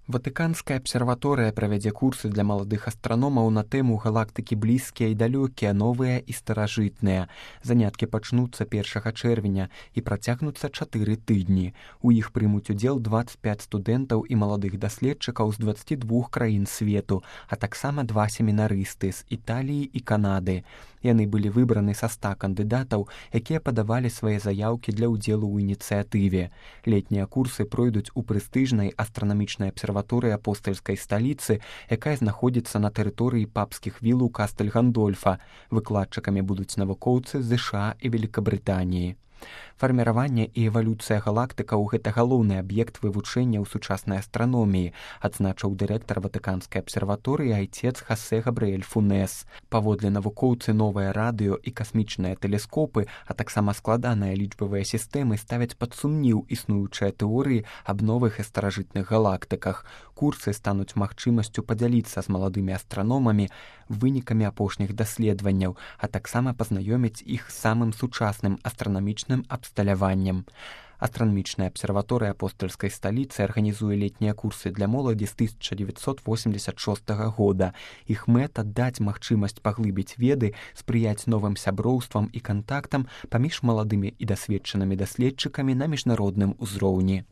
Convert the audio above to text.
Ватыканская абсерваторыя правядзе курсы для маладых астраномаў на тэму галактыкі блізкія і далёкія, новыя і старажытныя. Заняткі пачнуцца 1 чэрвеня і працягнуцца 4 тыдні. У іх прымуць удзел 25 студэнтаў і маладых даследчыкаў з 22 краін свету, а таксама 2 семінарысты з Італіі і Канады. Яны былі выбраны са 100 кандыдатаў, якія падавалі свае заяўкі для ўдзелу ў ініцыятыве. Летнія курсы пройдуць у прэстыжнай астранамічнай абсерваторыі апостальскай сталіцы, якая знаходзіцца на тэрыторыі папскіх вілаў Кастэль-Гандольфа. Выкладчыкамі будуць навукоўцы з ЗША і Великабрытаніі. Фарміраванне і эвалюцыя галактыкаў – гэта галоўны аб'ект вывучэння ў сучаснай астраноміі, адзначыў дырэктар Ватыканскай абсерваторыі айцец Хасе Габрыэль Фунес. Паводле навукоўцы, новыя радыё і касмічныя тэлескопы, а таксама складаныя лічбавыя сістэмы ставяць пад сумнеў існуючыя тэорыі аб новых і старажытных галактыках. Курсы стануць магчымасцю падзяліцца з маладымі астраномамі вынікамі апошніх даследаванняў, а таксама пазнаёміць іх з самым сучасным астранамічным абсталяваннем. Астранамічная абсерваторыя апостальскай сталіцы арганізуе летнія курсы для моладзі з 1986 года. Іх мэта – даць магчымасць паглыбіць веды, спрыяць новым сяброўствам і кантактам паміж маладымі і дасведчанымі даследчыкамі на міжнародным узроўні.